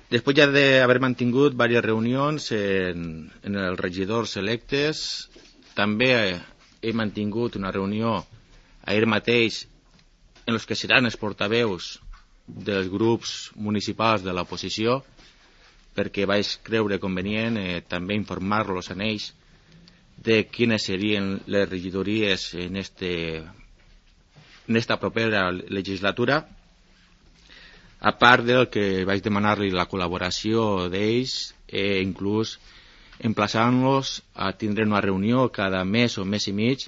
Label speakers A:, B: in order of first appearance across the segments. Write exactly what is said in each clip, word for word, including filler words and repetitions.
A: Després ja d'haver mantingut diverses reunions en, en els regidors electes, també he mantingut una reunió ahir mateix en els que seran els portaveus dels grups municipals de l'oposició, perquè vaig creure convenient eh, també informar-los en ells de quines serien les regidories en, este, en esta propera legislatura, a part del que vaig demanar-li la col·laboració d'ells, eh, inclús emplaçant-los a tindre una reunió cada mes o mes i mig,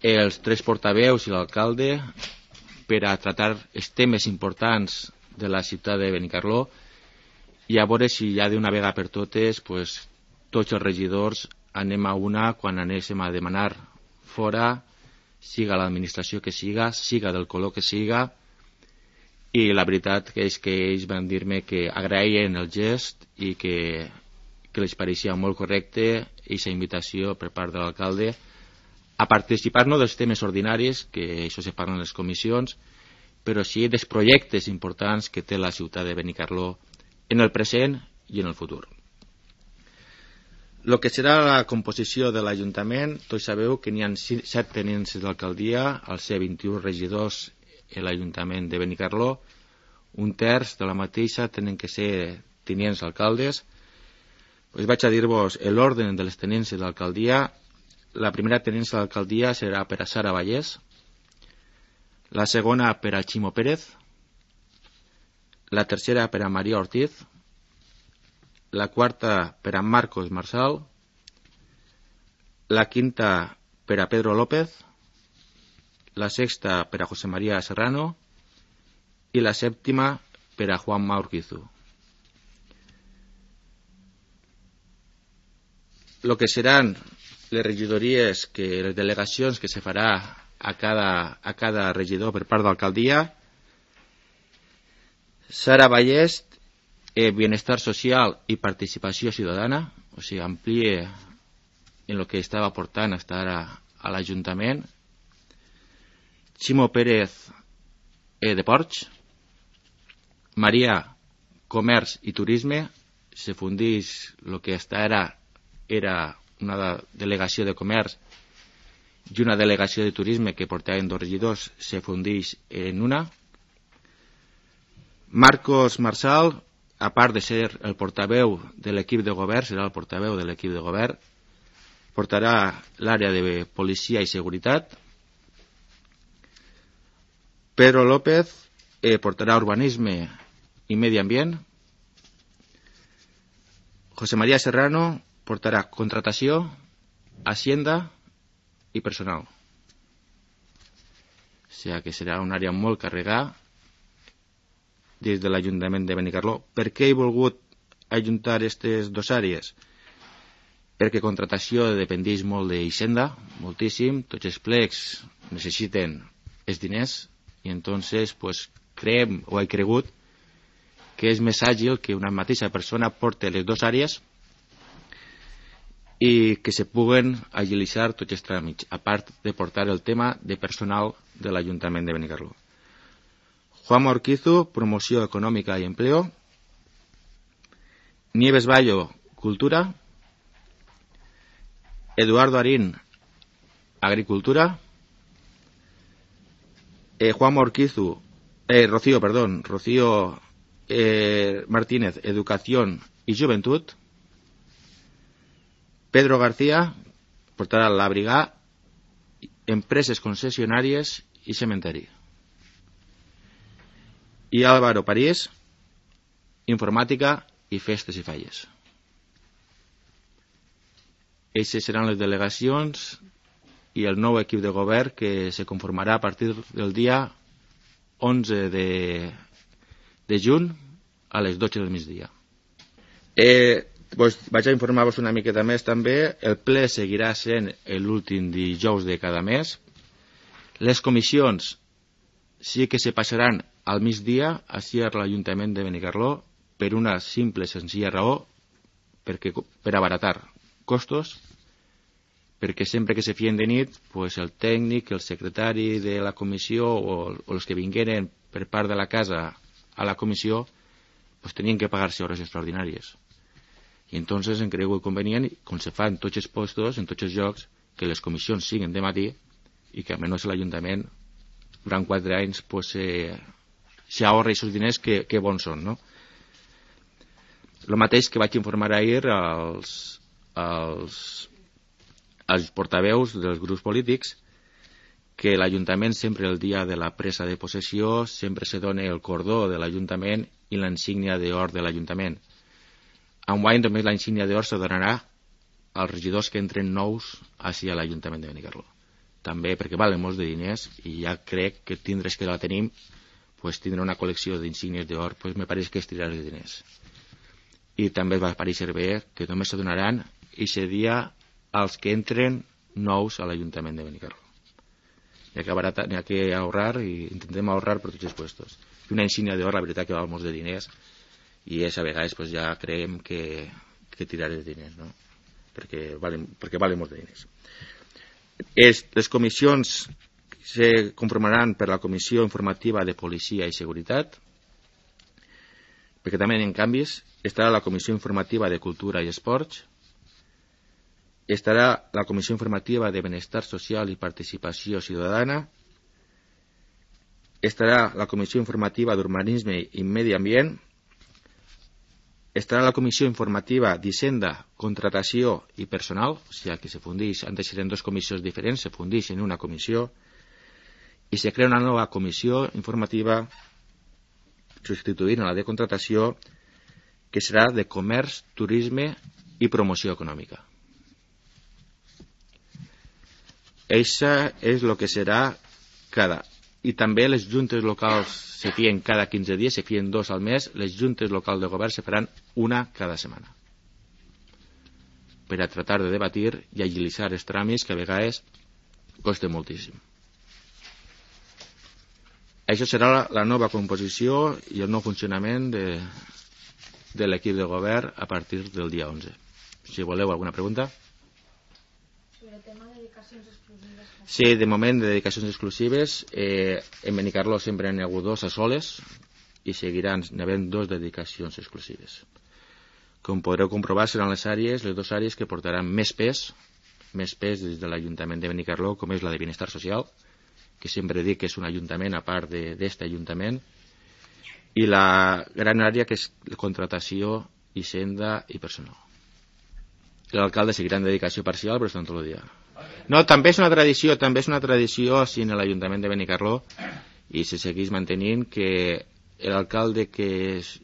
A: els tres portaveus i l'alcalde, per a tratar els temes importants de la ciutat de Benicarló i a veure si ja d'una vegada per totes pues, tots els regidors anem a una quan anéssim a demanar fora, siga l'administració que siga, siga del color que siga, i la veritat que és que ells van dir-me que agraïen el gest i que, que els pareixia molt correcte aquesta invitació per part de l'alcalde a participar no dels temes ordinaris, que això se parla en les comissions, però sí dels projectes importants que té la ciutat de Benicarló en el present i en el futur. El que serà la composició de l'Ajuntament, tots sabeu que n'hi ha set tenents d'alcaldia, als ser vint-i-un regidors en l'Ajuntament de Benicarló, un terç de la mateixa tenen que ser tenients alcaldes. Pues vaig a dir-vos l'ordre de les tenències d'alcaldia. La primera tenència d'alcaldia serà per a Sara Vallès, la segona per a Ximo Pérez, la tercera per a Maria Ortiz, la quarta per a Marcos Marsal, la quinta per a Pedro López, la sexta per a José María Serrano i la sèptima per a Juanma Urquizu. Lo que seran les regidories, que les delegacions que se farà a cada, a cada regidor per part d'alcaldia: Sara Vallès, eh, Bienestar Social i Participació Ciutadana, o sigui, amplie en el que estava portant hasta ara a l'Ajuntament. Ximo Pérez, eh, Deports. Maria, Comerç i Turisme, se fundeix el que hasta ara era una delegació de comerç i una delegació de turisme que portaven dos regidors, se fundeix en una. Marcos Marsal, a part de ser el portaveu de l'equip de govern, serà el portaveu de l'equip de govern, portarà l'àrea de policia i seguretat. Pedro López eh, portarà urbanisme i medi ambient. José María Serrano portarà contratació, hacienda i personal. O sigui que serà una àrea molt carregada des de l'Ajuntament de Benicarló. Per què he volgut ajuntar aquestes dues àrees? Perquè contratació dependeix molt d'Hisenda, moltíssim, tots els plecs necessiten els diners i entonces pues, creem o he cregut que és més àgil que una mateixa persona porte les dues àrees i que se puguen agilitzar tots els tràmits, a part de portar el tema de personal de l'Ajuntament de Benicarló. Juan Urquizu, Promoció Econòmica i Empleo. Nieves Bayo, Cultura. Eduardo Arín, Agricultura. Eh, Juan Urquizu, eh, Rocío, perdón, Rocío eh, Martínez, Educación y Juventud. Pedro García portarà la brigada, empreses concessionàries i cementeri. I Álvaro París, informàtica i festes i falles. Aquestes seran les delegacions i el nou equip de govern que se conformarà a partir del dia onze de, de juny a les dotze del migdia. Eh, pues vaig a informar-vos una miqueta més també. El ple seguirà sent l'últim dijous de cada mes. Les comissions sí que se passaran al migdia així a l'Ajuntament de Benicarló per una simple senzilla raó, perquè, per abaratar costos, perquè sempre que se fien de nit pues el tècnic, el secretari de la comissió o, o els que vingueren per part de la casa a la comissió pues tenien que pagar-se hores extraordinàries. I entonces em creu convenient, com se fa en tots els postos, en tots els llocs, que les comissions siguin de matí i que almenys l'Ajuntament durant quatre anys pues, eh, s'ahorra aquests diners que, que bons són, no? El mateix que vaig informar ahir als, als, als portaveus dels grups polítics, que l'Ajuntament sempre el dia de la presa de possessió sempre se dona el cordó de l'Ajuntament i la insígnia d'or de l'Ajuntament. Enguany només la insígnia d'or se donarà als regidors que entren nous així a l'Ajuntament de Benicarló. També perquè valen molts de diners i ja crec que tindres que la tenim, pues, tindre una col·lecció d'insígnies d'or, pues, me pareix que és tirar els diners. I també va aparèixer bé que només se donaran aquest dia als que entren nous a l'Ajuntament de Benicarló. N'hi ha, ha que ahorrar i intentem ahorrar per tots els puestos. I una insígnia d'or, la veritat que val molts de diners i és a vegades pues, ja creiem que, que tirar els diners, no? perquè valen, perquè valen molts de diners. Es, les comissions se conformaran per la Comissió Informativa de Policia i Seguretat, perquè també en canvis estarà la Comissió Informativa de Cultura i Esports, estarà la Comissió Informativa de Benestar Social i Participació Ciutadana, estarà la Comissió Informativa d'Urbanisme i Medi Ambient, estarà la Comissió Informativa d'Hisenda, Contratació i Personal, o sigui que se fundeix, antes eren dues comissions diferents, se fundeix en una comissió, i se crea una nova comissió informativa substituint a la de contratació, que serà de Comerç, Turisme i Promoció Econòmica. Això és el que serà cada... I també les juntes locals se fien cada quinze dies, se fien dos al mes, les juntes locals de govern se faran una cada setmana. Per a tratar de debatir i agilitzar els tràmits que a vegades costa moltíssim. Això serà la, la nova composició i el nou funcionament de, de l'equip de govern a partir del dia onze. Si voleu alguna pregunta.
B: Sobre el tema de dedicacions exclusives.
A: Sí, de moment de dedicacions exclusives. Eh, en Benicarló sempre n'hi ha hagut dos a soles i seguiran n'havent dos dedicacions exclusives. Com podreu comprovar, seran les àrees, les dues àrees que portaran més pes, més pes des de l'Ajuntament de Benicarló, com és la de Benestar Social, que sempre dic que és un ajuntament a part d'aquest ajuntament, i la gran àrea que és contratació, hisenda i personal. L'alcalde seguirà en dedicació parcial, però estan tot el dia. No, també és una tradició, també és una tradició així en l'Ajuntament de Benicarló i se segueix mantenint que l'alcalde que és,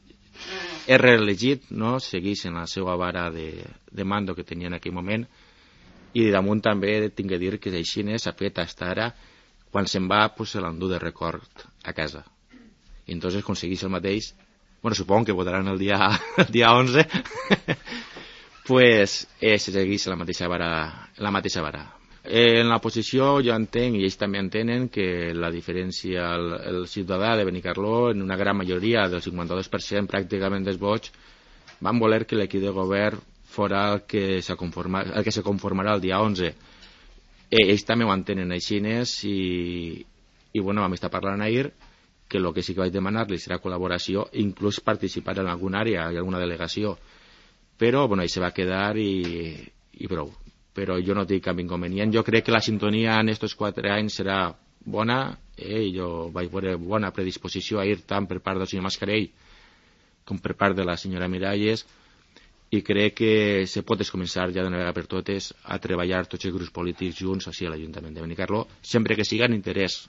A: és reelegit, no, segueix en la seva vara de, de mando que tenia en aquell moment i damunt també tinc que dir que així s'ha fet fins ara, quan se'n va pues, se l'endú de record a casa. I entonces aconsegueix el mateix, bueno, supongo que votaran el dia, el dia onze, pues eh, se segueix la mateixa vara, la mateixa vara. Eh, en la posició jo entenc, i ells també entenen, que la diferència, el, el ciutadà de Benicarló, en una gran majoria, del cinquanta-dos per cent pràcticament dels vots, van voler que l'equip de govern fora el que se, conforma, el que se conformarà el dia onze. Eh, ells també ho entenen així i, i bueno, vam estar parlant ahir que el que sí que vaig demanar-li serà col·laboració, inclús participar en alguna àrea i alguna delegació. Però bueno, ahí se va quedar i, i prou. Però jo no tinc cap inconvenient. Jo crec que la sintonia en estos quatre anys serà bona, eh? Jo vaig veure bona predisposició ahir tant per part del senyor Mascarell com per part de la senyora Miralles, i crec que se pot començar ja d'una vegada per totes a treballar tots els grups polítics junts així a l'Ajuntament de Benicarló, sempre que siga en interès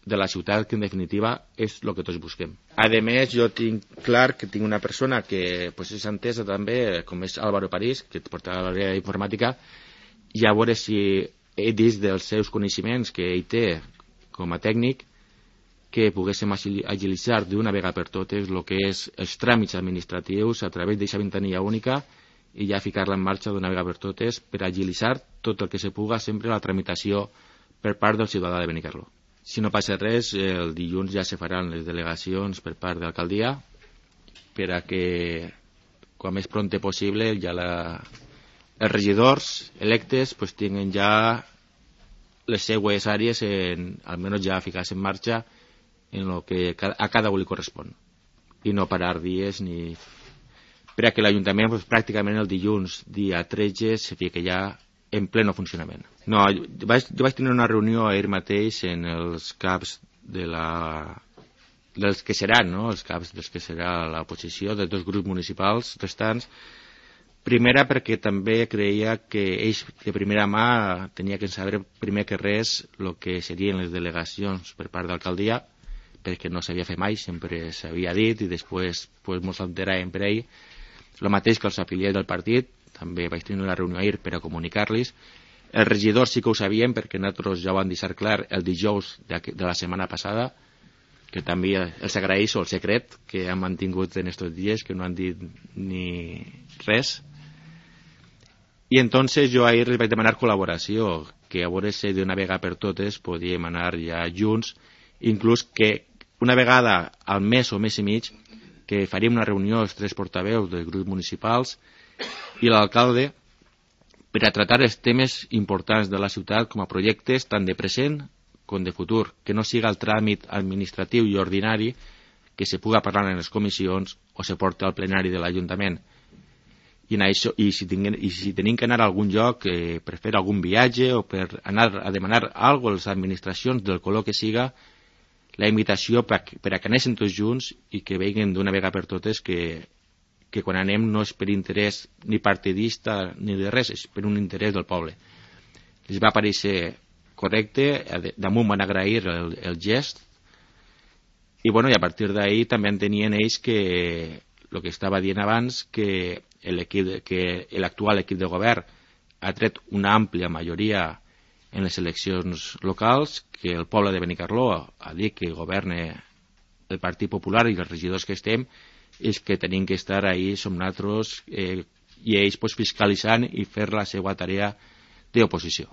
A: de la ciutat, que en definitiva és el que tots busquem. A més, jo tinc clar que tinc una persona que pues, és entesa també, com és Álvaro París, que porta l'àrea d'informàtica, i a veure si ell dins dels seus coneixements que ell té com a tècnic, que poguéssim agilitzar d'una vegada per totes el que és els tràmits administratius a través d'aquesta ventanilla única i ja ficar-la en marxa d'una vegada per totes per agilitzar tot el que se puga sempre la tramitació per part del ciutadà de Benicarló. Si no passa res, el dilluns ja se faran les delegacions per part de l'alcaldia per a que, com més prompte possible, ja la, els regidors electes pues, tinguen ja les seues àrees, en, almenys ja ficades en marxa en el que a cada un li correspon. i no parar dies ni... Per a que l'Ajuntament pues, pràcticament el dilluns, dia tretze, se fica ja en pleno funcionament. No, jo vaig, jo vaig tenir una reunió ahir mateix en els caps de la... dels que seran, no? Els caps dels que serà l'oposició, dels dos grups municipals restants. Primera perquè també creia que ells de primera mà tenia que saber primer que res el que serien les delegacions per part d'alcaldia, perquè no s'havia fet mai, sempre s'havia dit i després pues, mos enteràvem per ell. El mateix que els afiliats del partit, també vaig tenir una reunió ahir per a comunicar-los. Els regidors sí que ho sabien perquè nosaltres ja ho van deixar clar el dijous de, de la setmana passada, que també els agraeixo el secret que han mantingut en estos dies, que no han dit ni res. I entonces jo ahir les vaig demanar col·laboració, que a veure si d'una vegada per totes podíem anar ja junts, inclús que una vegada al mes o mes i mig que faríem una reunió els tres portaveus dels grups municipals i l'alcalde per a tratar els temes importants de la ciutat com a projectes tant de present com de futur, que no siga el tràmit administratiu i ordinari que se puga parlar en les comissions o se porta al plenari de l'Ajuntament. I, això, i, si tinguem, i si tenim que anar a algun lloc eh, per fer algun viatge o per anar a demanar alguna cosa a les administracions del color que siga, la invitació per, per a que anessin tots junts i que vegin d'una vegada per totes que, que quan anem no és per interès ni partidista ni de res, és per un interès del poble. Els va parèixer correcte, damunt van agrair el, el gest i, bueno, i a partir d'ahir també entenien ells que el que estava dient abans, que l'actual equip de govern ha tret una àmplia majoria en les eleccions locals, que el poble de Benicarló ha dit que governa el Partit Popular i els regidors que estem, és que tenim que estar ahí, som nosaltres, eh, i ells pues, fiscalitzant i fer la seva tarea d'oposició.